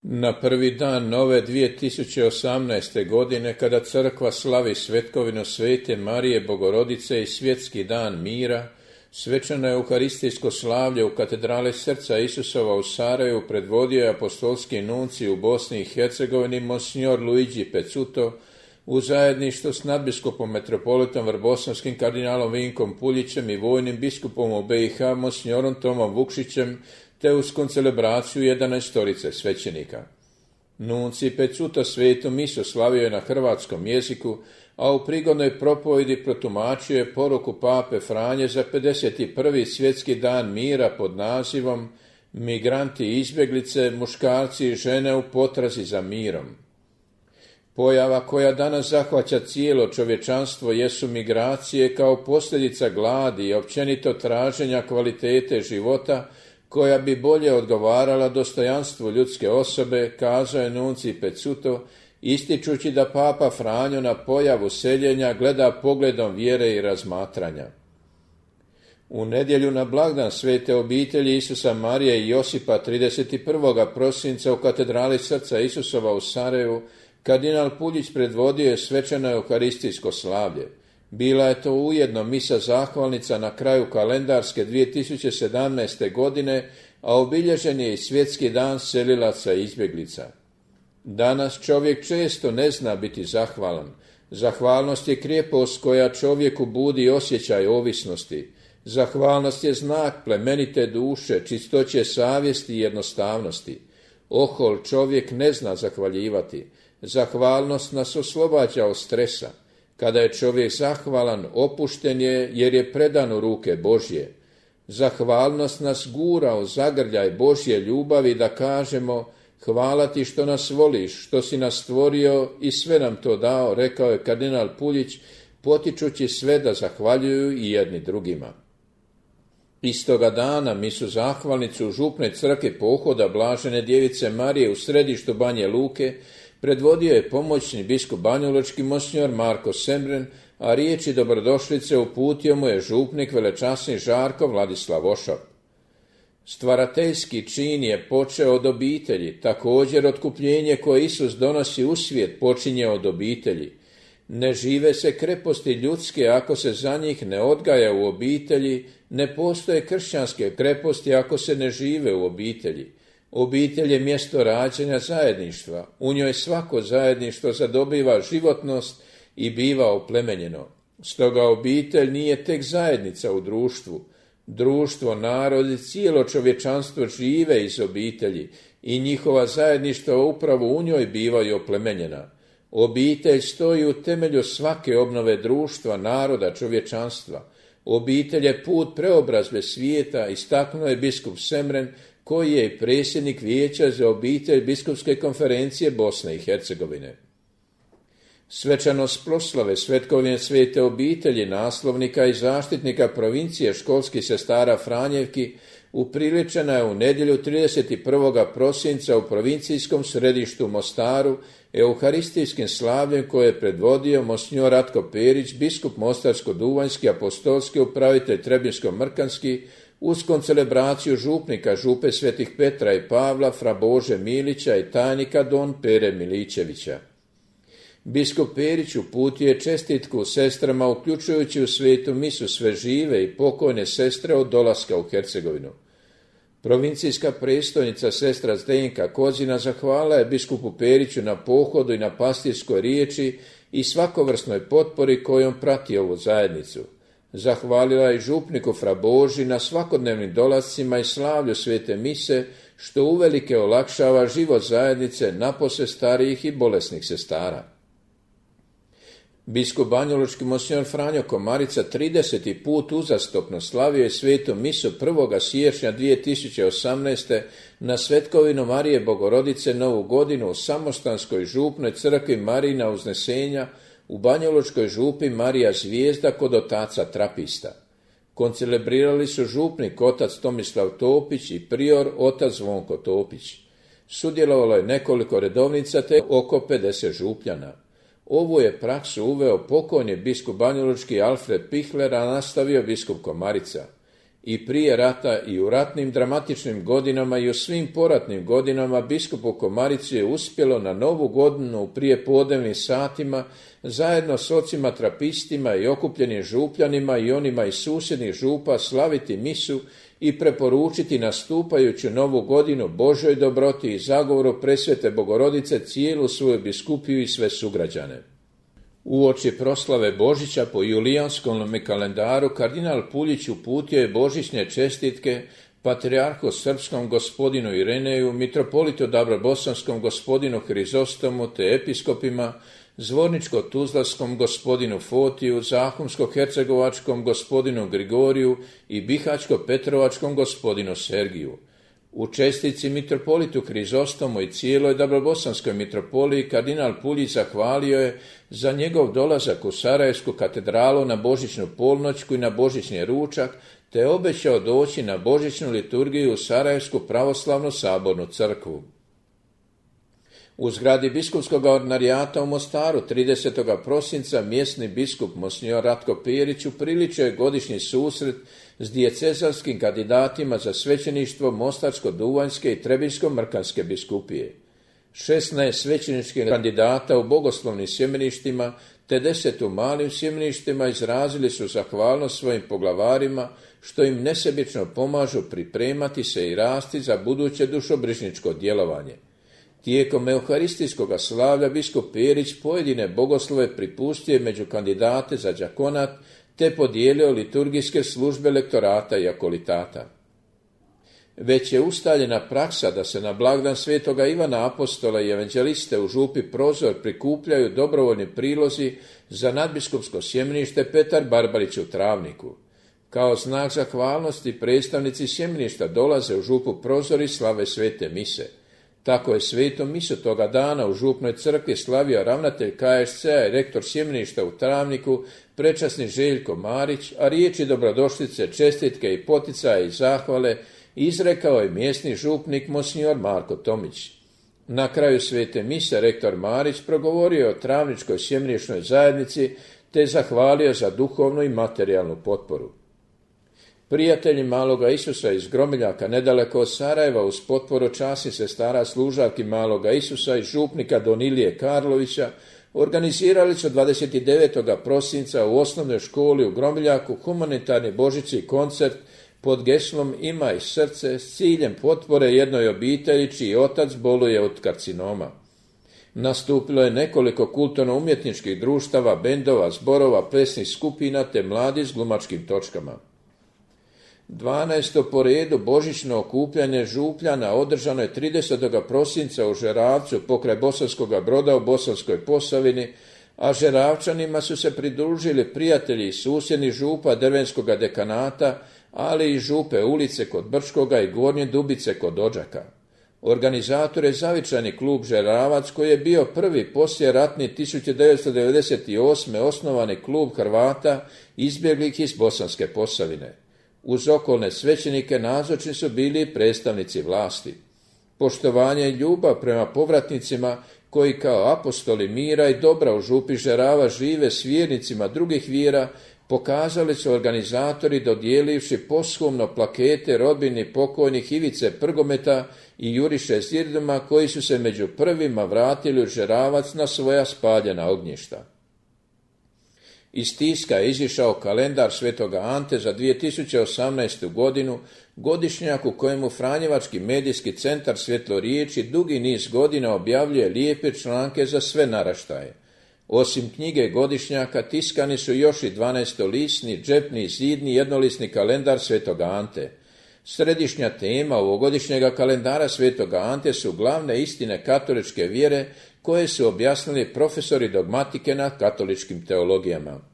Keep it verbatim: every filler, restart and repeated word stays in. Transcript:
Na prvi dan nove dvije tisuće osamnaeste. godine, kada crkva slavi svetkovinu Svete Marije Bogorodice i svjetski dan mira, svečano euharistijsko slavlje u katedrali Srca Isusova u Sarajevu predvodio je apostolski nuncij u Bosni i Hercegovini Monsignor Luigi Pezzuto u zajedništvu s nadbiskupom metropolitom Vrbosavskim kardinalom Vinkom Puljićem i vojnim biskupom u B i H Monsignorom Tomom Vukšićem, te uz koncelebraciju jedanaestorice svećenika. Nuncij Pezzuto svetu misu slavio je na hrvatskom jeziku, a u prigodnoj propovjedi protumačio je poruku pape Franje za pedeset prvi svjetski dan mira pod nazivom Migranti i izbjeglice, muškarci i žene u potrazi za mirom. Pojava koja danas zahvaća cijelo čovječanstvo jesu migracije kao posljedica gladi i općenito traženja kvalitete života koja bi bolje odgovarala dostojanstvu ljudske osobe, kazao je nuncij Pezzuto, ističući da papa Franjo na pojavu seljenja gleda pogledom vjere i razmatranja. U nedjelju na blagdan Svete obitelji Isusa Marije i Josipa trideset prvog prosinca u katedrali Srca Isusova u Sarajevu kardinal Puljić predvodio je svečano euharistijsko slavlje. Bila je to ujedno misa zahvalnica na kraju kalendarske dvije tisuće sedamnaeste. godine, a obilježen je i svjetski dan selilaca i izbjeglica. Danas čovjek često ne zna biti zahvalan. Zahvalnost je krijepost koja čovjeku budi osjećaj ovisnosti. Zahvalnost je znak plemenite duše, čistoće savjesti i jednostavnosti. Ohol čovjek ne zna zahvaljivati. Zahvalnost nas oslobađa od stresa. Kada je čovjek zahvalan, opušten je jer je predan u ruke Božje. Zahvalnost nas gura u zagrljaj Božje ljubavi da kažemo hvala ti što nas voliš, što si nas stvorio i sve nam to dao, rekao je kardinal Puljić, potičući sve da zahvaljuju i jedni drugima. Istoga dana misu zahvalnicu u župnoj crkvi pohoda Blažene djevice Marije u središtu Banje Luke predvodio je pomoćni biskup banjalučki Monsignor Marko Semren, a riječi dobrodošlice uputio mu je župnik velečasni Žarko Vladislav Ošap. Stvarateljski čin je počeo od obitelji, također otkupljenje koje Isus donosi u svijet počinje od obitelji. Ne žive se kreposti ljudske ako se za njih ne odgaja u obitelji, ne postoje kršćanske kreposti ako se ne žive u obitelji. Obitelj je mjesto rađanja zajedništva, u njoj svako zajedništvo zadobiva životnost i biva oplemenjeno. Stoga obitelj nije tek zajednica u društvu. Društvo, narod i cijelo čovječanstvo žive iz obitelji i njihova zajedništva upravo u njoj bivaju oplemenjena. Obitelj stoji u temelju svake obnove društva, naroda, čovječanstva. Obitelj je put preobrazbe svijeta, istaknuo je biskup Semren, koji je i predsjednik Vijeća za obitelj Biskupske konferencije Bosne i Hercegovine. Svečanost proslave svetkovine Svete obitelji, naslovnika i zaštitnika provincije školskih sestara Franjevki upriličena je u nedjelju trideset prvog prosinca u provincijskom središtu Mostaru euharistijskim slavljem koje je predvodio Monsignor Ratko Perić, biskup Mostarsko-Duvanjski, apostolski upravitelj Trebinsko-Mrkanski, uz koncelebraciju župnika župe Svetih Petra i Pavla, fra Bože Milića i tajnika don Pere Miličevića. Biskup Perić uputio je čestitku sestrama, uključujući u svetu misu sve žive i pokojne sestre od dolaska u Hercegovinu. Provincijska predstojnica sestra Zdenka Kozina zahvala je biskupu Periću na pohodu i na pastirskoj riječi i svakovrsnoj potpori kojom prati ovu zajednicu. Zahvalila je župniku fra Boži na svakodnevnim dolascima i slavlju svete mise, što uvelike olakšava život zajednice napose starijih i bolesnih sestara. Biskup banjalučki Monsignor Franjo Komarica trideseti put uzastopno slavio je svetu misu prvog siječnja dvije tisuće osamnaeste. na svetkovinu Marije Bogorodice Novu godinu u samostanskoj župnoj crkvi Marijina Uznesenja u banjalučkoj župi Marija Zvijezda kod otaca Trapista. Koncelebrirali su župnik otac Tomislav Topić i prior otac Zvonko Topić. Sudjelovalo je nekoliko redovnica te oko pedeset župljana. Ovu je praksu uveo pokojni biskup banjalučki Alfred Pihler, a nastavio biskup Komarica. I prije rata i u ratnim dramatičnim godinama i u svim poratnim godinama biskupu Komarici je uspjelo na Novu godinu u prijepodnevnim satima zajedno s ocima trapistima i okupljenim župljanima i onima iz susjednih župa slaviti misu i preporučiti nastupajuću Novu godinu Božoj dobroti i zagovoru presvete Bogorodice cijelu svoju biskupiju i sve sugrađane. Uoči proslave Božića po julijanskom kalendaru kardinal Puljić uputio je božićne čestitke patrijarhu srpskom gospodinu Ireneju, mitropolitu Dabrobosanskom gospodinu Hrizostomu te episkopima, zvorničko-tuzlanskom gospodinu Fotiju, zahumsko-hercegovačkom gospodinu Grigoriju i bihaćko-petrovačkom gospodinu Sergiju. U čestici mitropolitu Hrizostomu i cijeloj Dabrobosanskoj mitropoliji kardinal Puljić zahvalio je za njegov dolazak u Sarajevsku katedralu na božićnu polnoćku i na božićni ručak, te obećao doći na božićnu liturgiju u Sarajevsku pravoslavnu sabornu crkvu. U zgradi biskupskog ordinarijata u Mostaru tridesetog prosinca mjesni biskup Monsignor Ratko Perić upriličio je godišnji susret s diecezanskim kandidatima za svećeništvo Mostarsko-Duvanjske i Trebinjsko-Mrkanske biskupije. šesnaest svećeničkih kandidata u bogoslovnim sjemeništima te deset u malim sjemeništima izrazili su zahvalnost svojim poglavarima što im nesebično pomažu pripremati se i rasti za buduće dušobrižničko djelovanje. Tijekom euharistijskog slavlja biskup Perić pojedine bogoslove pripustio među kandidate za đakonat te podijelio liturgijske službe lektorata i akolitata. Već je ustaljena praksa da se na blagdan svetoga Ivana Apostola i evanđeliste u župi Prozor prikupljaju dobrovoljni prilozi za nadbiskupsko sjemenište Petar Barbarić u Travniku. Kao znak zahvalnosti predstavnici sjemeništa dolaze u župu Prozor i slave svete mise. Tako je svetu misu toga dana u župnoj crkvi slavio ravnatelj K S C-a i rektor sjemeništa u Travniku, prečasni Željko Marić, a riječi dobrodošlice, čestitke i poticaja i zahvale izrekao je mjesni župnik Monsignor Marko Tomić. Na kraju svete mise rektor Marić progovorio o travničkoj sjemenišnoj zajednici te zahvalio za duhovnu i materijalnu potporu. Prijatelji Maloga Isusa iz Gromiljaka nedaleko od Sarajeva uz potporu časnih sestara služavki Maloga Isusa i župnika Donilije Karlovića organizirali su dvadeset devetog prosinca u osnovnoj školi u Gromiljaku humanitarni božićni koncert pod geslom Imaj srce s ciljem potpore jednoj obitelji čiji otac boluje od karcinoma. Nastupilo je nekoliko kulturno-umjetničkih društava, bendova, zborova, plesnih skupina te mladi s glumačkim točkama. dvanaesto po redu božićno okupljanje župljana održano je tridesetog prosinca u Žeravcu pokraj Bosanskoga Broda u Bosanskoj Posavini, a Žeravčanima su se pridružili prijatelji iz susjednih župa Drvenskoga dekanata, ali i župe ulice kod Brčkoga i Gornje Dubice kod Odžaka. Organizator je zavičajni klub Žeravac koji je bio prvi poslijeratni tisuću devetsto devedeset osme osnovani klub Hrvata izbjeglih iz Bosanske Posavine. Uz okolne svećenike nazočni su bili predstavnici vlasti. Poštovanje i ljubav prema povratnicima koji kao apostoli mira i dobra u župi Žerava žive s vjernicima drugih vjera pokazali su organizatori dodijelivši poshumno plakete rodbini pokojnih Ivice Prgometa i Juriše Zirduma koji su se među prvima vratili u Žeravac na svoja spaljena ognjišta. Iz tiska je izišao kalendar svetoga Ante za dvije tisuće osamnaestu godinu, godišnjak u kojemu Franjevački medijski centar Svjetloriječi dugi niz godina objavljuje lijepe članke za sve naraštaje. Osim knjige godišnjaka tiskani su još i dvanaestolistni, džepni, zidni, jednolisni kalendar svetoga Ante. Središnja tema ovogodišnjega kalendara svetoga Ante su glavne istine katoličke vjere koje su objasnili profesori dogmatike na katoličkim teologijama.